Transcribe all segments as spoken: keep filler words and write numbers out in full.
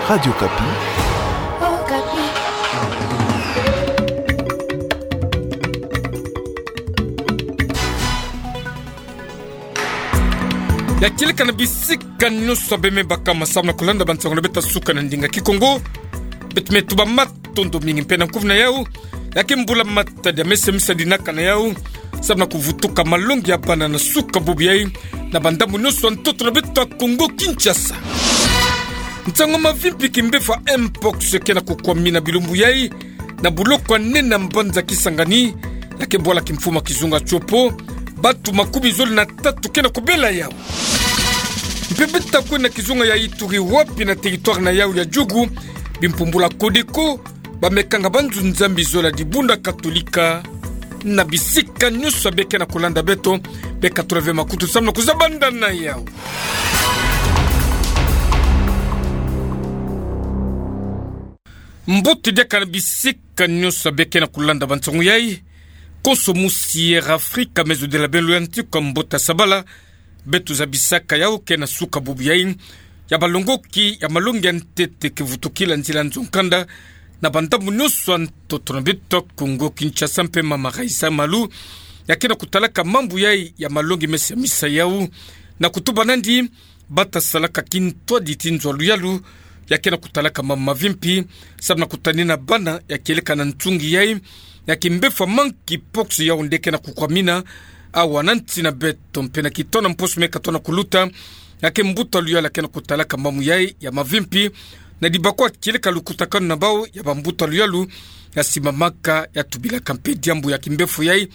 Radio Okapi. Ya kieleka na bisika nyonso bê me baka ma samu na kulanda bansango na beto ya suka na ndinga Kikongo. Beto me tuba matondo mingi mpe na nkuvu na yau. Ya ke mbula matadi ya mese misa dinaka na yau, samu na kuvutuka malongi ya bana na suka bubu yai, na bandambu nyonso ya ntoto na beto ya Kongo Kinshasa. Nsangu ya mavimpi, kimbefo ya mpox ke na kukwamina bilumbu yai na buloko ya nene ya mbanza Kisangani, ya ke bwala kimfumu ya kizunga Tshopo. Bantu makumi zole na tatu ke na kubela yau. Mpe beto ta kwenda na kizunga ya Ituri, wapi na territoire na yau ya Djugu, bimpumbulu ya Codeco ba me kanga banzunzambi zole ya dibundu ya Katolika. Na bisika nyonso bê ke na kulanda beto, bê katula ve makutu samu na kuzabanda na yau. Mbote diaka na bisika nyonso bê ke na kulanda bansangu yai. Konso musi Air Africa, mezo de la belu ya ntiku ya mbote ya sabala. Beto zabisaka yau ke na suka bubu yai, ya balongoki ya malongi ya ntete ke vutukila nzila nzo nkanda na bandambu nyonso ya ntoto na beto ya Kongo Kinshasa mpe mama Raissa Malu, ya ke na kutalaka mambu yai ya malongi mese ya misa yau, na kutuba nandi ba ta salaka kintwadi ti nzo ya luyalu, ya ke na kutalaka mambu mavimpi samu na kutanina bana, ya kieleka na nsungi yai ya kimbefo ya monkeypox, yau nde ke na kukwamina awa na nsi na beto mpe na kitono mposo me katona kuluta. Ya ke mbuta luyalu ya ke na kutalaka mambu yai ya mavimpi na dibakwa kieleka lukutakanu na bau ya bambuta luyalu ya simbamaka, ya tubilaka mpe diambu ya kimbefo yai,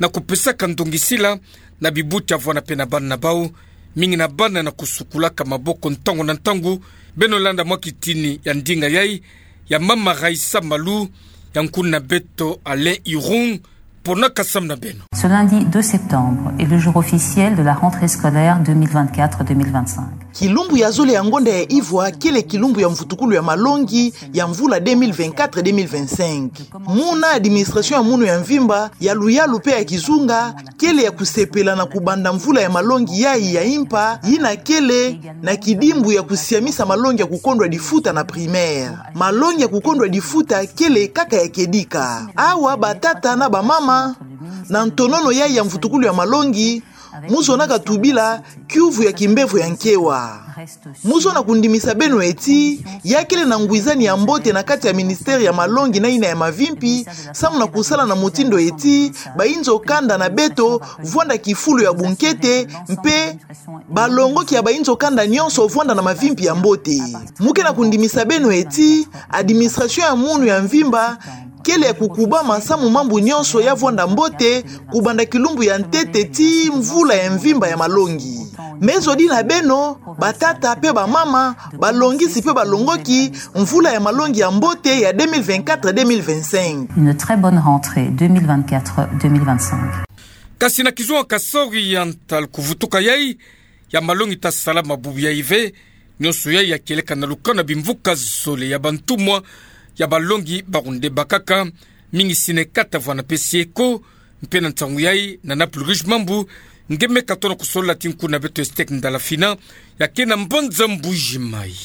na kupesaka ndongisila na bibuti ya vwanda mpe na bana na bau, mingi na bana na kusukulaka maboko ntangu na ntangu. Beno landa mwa kitini ya ndinga yai ya mama Raissa Malu, ya nkuna beto Alain Irung, ponaka samu na beno. Ce lundi deux septembre est le jour officiel de la rentrée scolaire deux mille vingt-quatre deux mille vingt-cinq. Kilumbu ya zole ya ngonda ya ivwa kele kilumbu ya mvutukulu ya malongi ya mvula deux mille vingt-quatre deux mille vingt-cinq. Muna administration ya munu ya mvimba, ya luyalu mpe ya kizunga, kele ya kusepela na kubanda mvula ya malongi yai ya impa, yina kele na kidimbu ya kusiamisa malongi ya kukondwa difuta na primaire. Malongi ya kukondwa difuta kele kaka ya kedika. Awa batata na bamama, na ntonono yai ya mvutukulu ya malongi, mu zonaka tubila kiuvu ya kimbefo ya nkewa. Mu zona kundimisa beno eti, ya kele na ngwizani ya mbote na kati ya ministère ya malongi na yina ya mavimpi, samu na kusala na mutindu eti bainzo kanda na beto vwanda kifulu ya bunkete, mpe balongoki ya bainzo kanda nyonso vwanda na mavimpi ya mbote. Mu ke na kundimisa beno eti, administration ya munu ya mvimba kele ya kukubama samu mambu nyonso ya vwanda mbote, kubanda kilumbu ya ntete tii mvula ya mvimba ya malongi. Mezo di na beno, batata mpe bamama, balongisi mpe balongoki, mvula ya malongi ya mbote ya deux mille vingt-quatre deux mille vingt-cinq. Une très bonne rentrée deux mille vingt-quatre deux mille vingt-cinq. Kasi na kizunga Kasaï Oriental, kuvutuka yai ya malongi ta salama bubu yai ve. Nyonso yai ya kieleka na lukanu ya bimvuka zole ya bantumwa ya balongi, bawu nde bakaka, mingi SNECAT vwanda mpe SYECO. Mpe na nsangu yai, na Naples Rouge Mambu nge me katona kusolola ti nkuna beto Estec Ndalafina, ya ke na mbanza Mbuji-Mayi.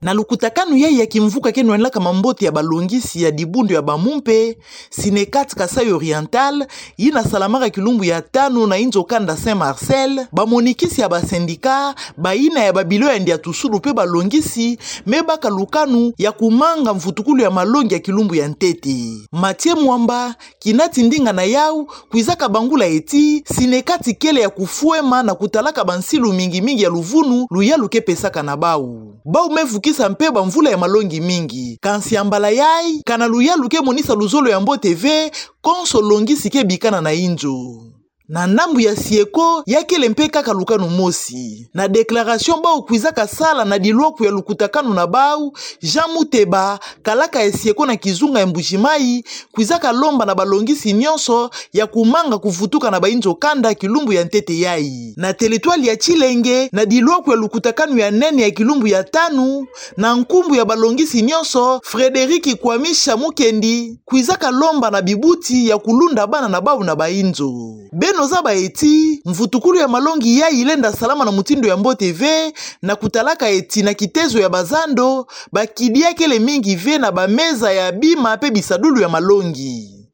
Na lukutakanu yai ya kimvuka ke nwenlaka mambote ya balongisi ya dibundu ya bamumpe, SNECAT Kasaï Oriental, yina salamaka kilumbu ya tanu na inzo kanda Saint Marcel, bamonikisi ya basendika, bayina ya babilo ya ndiatusulu mpe balongisi, me baka lukanu ya kumanga mvutukulu ya malongi ya kilumbu ya ntete. Mathieu Mwamba, kina ti ndinga na yau, kwizaka bangula eti, SNECAT kele ya kufwema na kutalaka bansilu mingi mingi ya luvunu luyalu ke pesaka na bau. Bau me vukisa mpe bamvula ya malongi mingi. Kansi ya mbala yai, kana luyalu ke monisa luzolo ya mbote ve, konso longisi ke bikana na inzo. Na ndambu ya SYECO, ya kele mpe kaka lukanu mosi. Na déclaration bau kwizaka sala na dilwaku ya lukutakanu na bau, Jean Muteba, kalaka ya SYECO na kizunga ya Mbuji-Mayi, kwizaka lomba na balongisi nyonso ya kumanga kuvutuka na bainzo kanda kilumbu ya ntete yai. Na territoire ya Tshilenge, na dilwaku ya lukutakanu ya nene ya kilumbu ya tanu, na nkumbu ya balongisi nyonso, Frédéric Kwamisha Mukendi, kwizaka lomba na bibuti ya kulunda bana na bau na bainzo. Beno Ozaba eti, mvutukulu ya malongi yayi ilenda salama na mutindu ya mbote ve, na kutalaka eti na kitezo ya bazando, bakidi ya kele mingi ve na bameza ya bima pe bisadulu ya malongi.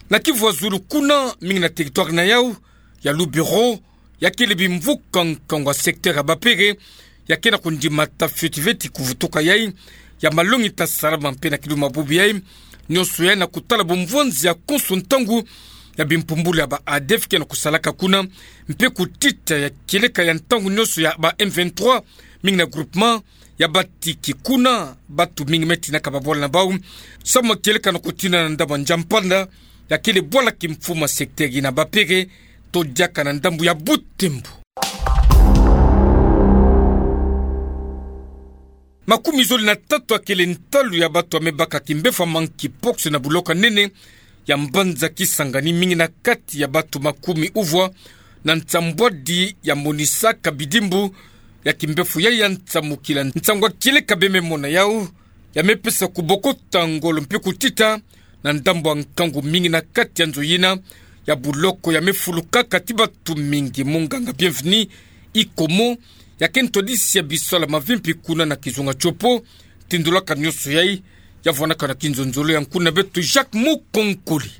Na kivwa zulu kuna, mingi na territoire na yau, ya Lubero, ya kele bimvuka nkangu ya secteur ya Bapere, ya ke na kundimata fioti ve ti kuvutuka yayi ya malongi ta salama mpe na kiluma bubu yayi. Nionso yayi na kutala bumvwanzi ya konso ntangu ya bimpumbulu ya ba ADF ke na kusalaka kuna, mpe kutita ya kieleka ya ntangu nionso ya ba M vingt-trois, mingi na groupement ya Batiki kuna, batu mingi me tinaka babwala na bau, samu na kieleka na kutina na ndambu ya Ndjampanda, ya kele bwala kimfumu ya secteur yina Bapere, to diaka na ndambu ya Butembo. Makumi zole na tatu ya kele ntalu ya batu ya me baka kimbevo ya monkeypox na buloko ya nene ya mbanza Kisangani, mingi na kati ya batu makumi uvwa na nsambwadi ya monisaka bidimbu ya kimbevo yayi ya nsamukila. Nsangu ya kieleka bie me mona yau, ya me pesa kubokota ngolo mpe kutita na ndambu ya nkangu, mingi na kati ya nzo yina ya buloko ya me fulukaka ti batu mingi. Munganga Bienvenu Ikomo, ya ke ntwadisi ya bisala mavimpi kuna na kizunga tiopo, tindolaka nionso yayi, ya vwanaka na kinzonzolo ya nkuna beto Jacques Mukonkole.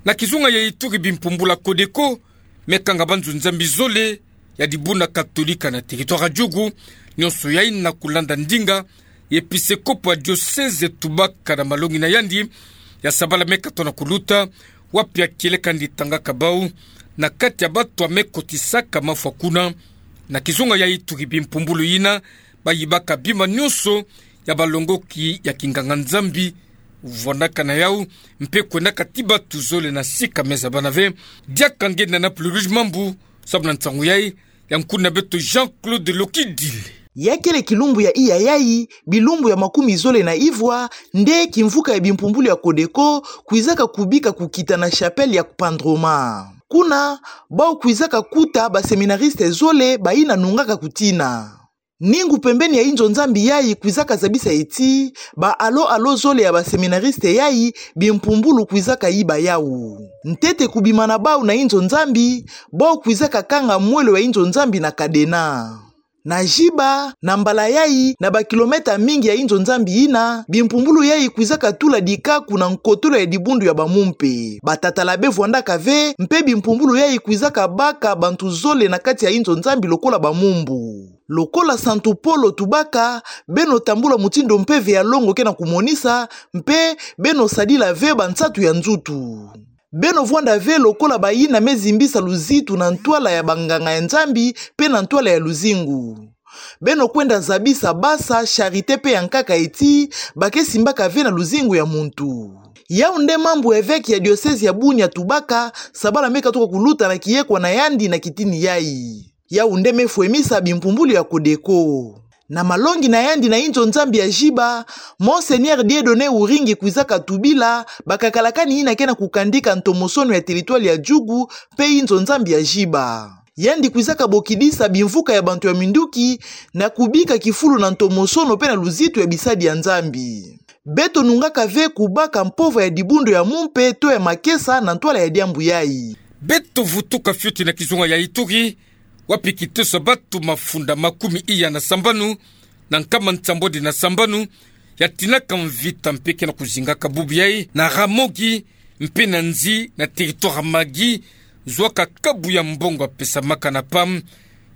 Na kizunga ya Ituri, bimpumbulu ya Codeco me kanga banzo-Nzambi zole ya dibundu katolika na territoire ya Djugu, nionso yayi na kulanda ndinga ya episekopo ya diocèse tubaka na malongi na yandi ya sabala me katoka na kuluta, wapi ya kieleka yandi tangaka bau na kati ya batu ya me kotisaka mafwa kuna. Na kizunga ya Ituri, bimpumbulu yina bayibaka bima nionso ya balongoki ya kinganga-Nzambi, vwandaka na yau, mpe kwendaka ti batu zole na sika me zabana ve. Diaka nge na Naple Rouge Mambu, samu na nsangu yayi, ya nkuna beto Jean-Claude Lokidile. Ya kele kilumbu ya iya yayi, bilumbu ya makumi zole na ivwa, nde kimvuka ya bimpumbulu ya Codeco kwizaka kubika kukita na chapelle ya Kpandroma. Kuna, bau kwizaka kuta baseminariste zole bayina nungaka kutina. Ningu pembeni ya inzo-Nzambi yayi kwizaka zabisa eti, ba alo-alo zole ya baseminariste yayi, bimpumbulu kwizaka yiba yau. Ntete kubima na bau na inzo-Nzambi, bau kwizaka kanga mwelo ya inzo-Nzambi na cadenas. Na Djiba, na mbala yayi, na bakilomètre mingi ya inzo-Nzambi yina, bimpumbulu yayi kwizaka tula dikaku na nkotolo ya dibundu ya bamumpe. Batatala bevwandaka ve, mpe bimpumbulu yayi kwizaka baka bantu zole na kati ya inzo-Nzambi lokola bamumbu. Lokola Santu Polo tubaka, beno tambula mutindu mpeve ya longo ke na kumonisa, mpe beno sadila ve bansatu ya nzutu. Beno vwanda ve lokola bayina me zimbisa luzitu na ntwala ya banganga ya Nzambi mpe na ntwala ya luzingu. Beno kwenda zabisa basa, charité mpe ya nkaka eti, ba ke simbaka ve na luzingu ya muntu. Yau nde mambu evêque ya diocèse ya Bunia tubaka, sabala me katuka kuluta na kiyekwa na yandi na kitini yayi. Yau nde me fwemisa bimpumbulu ya Codeco. Na malongi na yandi na inzo-Nzambi ya Djiba, Monseigneur Dieudonné Uringi kwizaka tubila bakakalakani yina ke na kukandika ntomosono ya territoire ya Djugu mpe inzo-Nzambi ya Djiba. Yandi kwizaka bokidisa bimvuka ya bantu ya minduki na kubika kifulu na ntomosono mpe na luzitu ya bisadi ya Nzambi. Beto nungaka ve kubaka mpova ya dibundu ya mumpe to ya makesa na ntwala ya diambu yayi. Beto vutuka fioti na kizunga ya Ituri, wapi kiteso ya batu mafunda makumi iya na sambanu na nkama nsambwadi na sambanu ya tinaka mvita mpe ke na kuzingaka bubu yayi na Ramogi mpe na Nzi na territoire ya Magi, zwaka kabu ya mbongo ya pesamaka na PAM,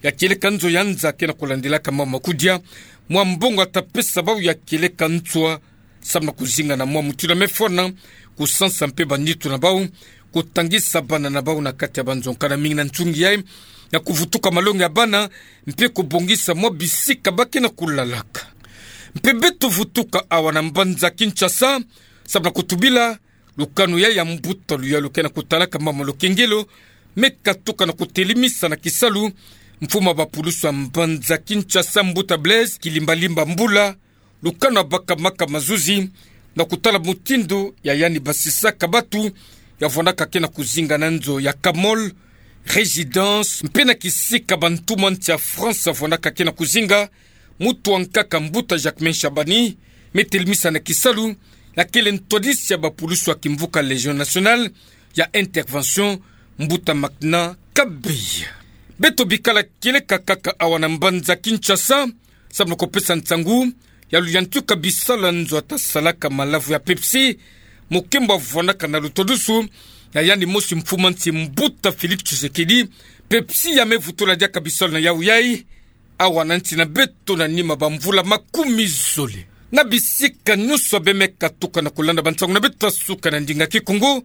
ya kieleka nzo ya nza ke na kulandilaka mwa makudia, mwa mbongo ya ta pesa bau ya kieleka nswa, samu na kuzinga na mwa mutindu ya me fwana kusansa mpe banitu na bau, kutangisa bana na bau na kati ya banzo nkana mingi na nsungi yayi, na kuvutuka malongi ya bana, mpe kubongisa mwa bisika ba ke na kulalaka. Mpe beto vutuka awa na mbanza Kinshasa, samu na kutubila lukanu yayi ya mbuta luyalu ke na kutalaka mama lukengelo, me katuka na kutelemisa na kisalu mfumu ya bapulusu ya mbanza Kinshasa, mbuta Blaise Kilimbalimba Mbula, lukanu ya bakamaka mazuzi na kutala mutindu ya yandi basisaka batu ya vwandaka ke na kuzinga na nzo ya Camol Résidence, mpe na kisika bantu mwa nsi ya France ya vwandaka ke na kuzinga. Mutu wa nkaka, mbuta Jacquemain Shabani, me telemisa na kisalu na kele ntwadisi ya bapulusu ya kimvuka Légion nationale ya intervention, mbuta Makna Kabeya. Beto bikala kieleka kaka awa na mbanza Kinshasa, samu na kupesa nsangu ya luyantika bisalu ya nzo atasalaka malavu ya Pepsi, mokembo avwanaka na lutwadusu ya yandi mosi mfuma nsi, mbuta Félix Tshisekedi. Pepsi ya mevutula diaka bisalu na yawu yayi, awa na nsi na beto na nima bamvula makumi zole. Na bisika nyonso ya bê me katuka na kulanda bansangu na beto ya suka na ndinga Kikongo,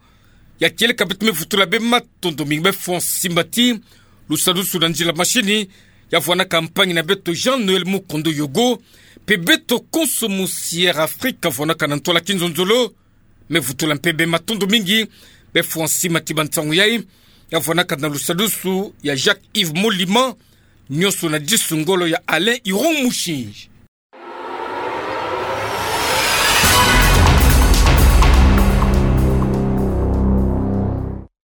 ya kieleka beto mevutula bê matondo mingi, bê fwa nsimbati lusadisu na nzila mashini ya vwanaka mpangi na beto Jean-Noël Mukondo Yogo, mpe beto konso musi Air Afrique avwanaka na ntwala kinzonzolo. Mevutula mpe bê matondo mingi, bê fwa nsimbati bansangu yayi, ya vwanaka na lusadisu ya Jacques-Yves Molima, nyonso na disu ngolo ya Alain Iron Mushinji.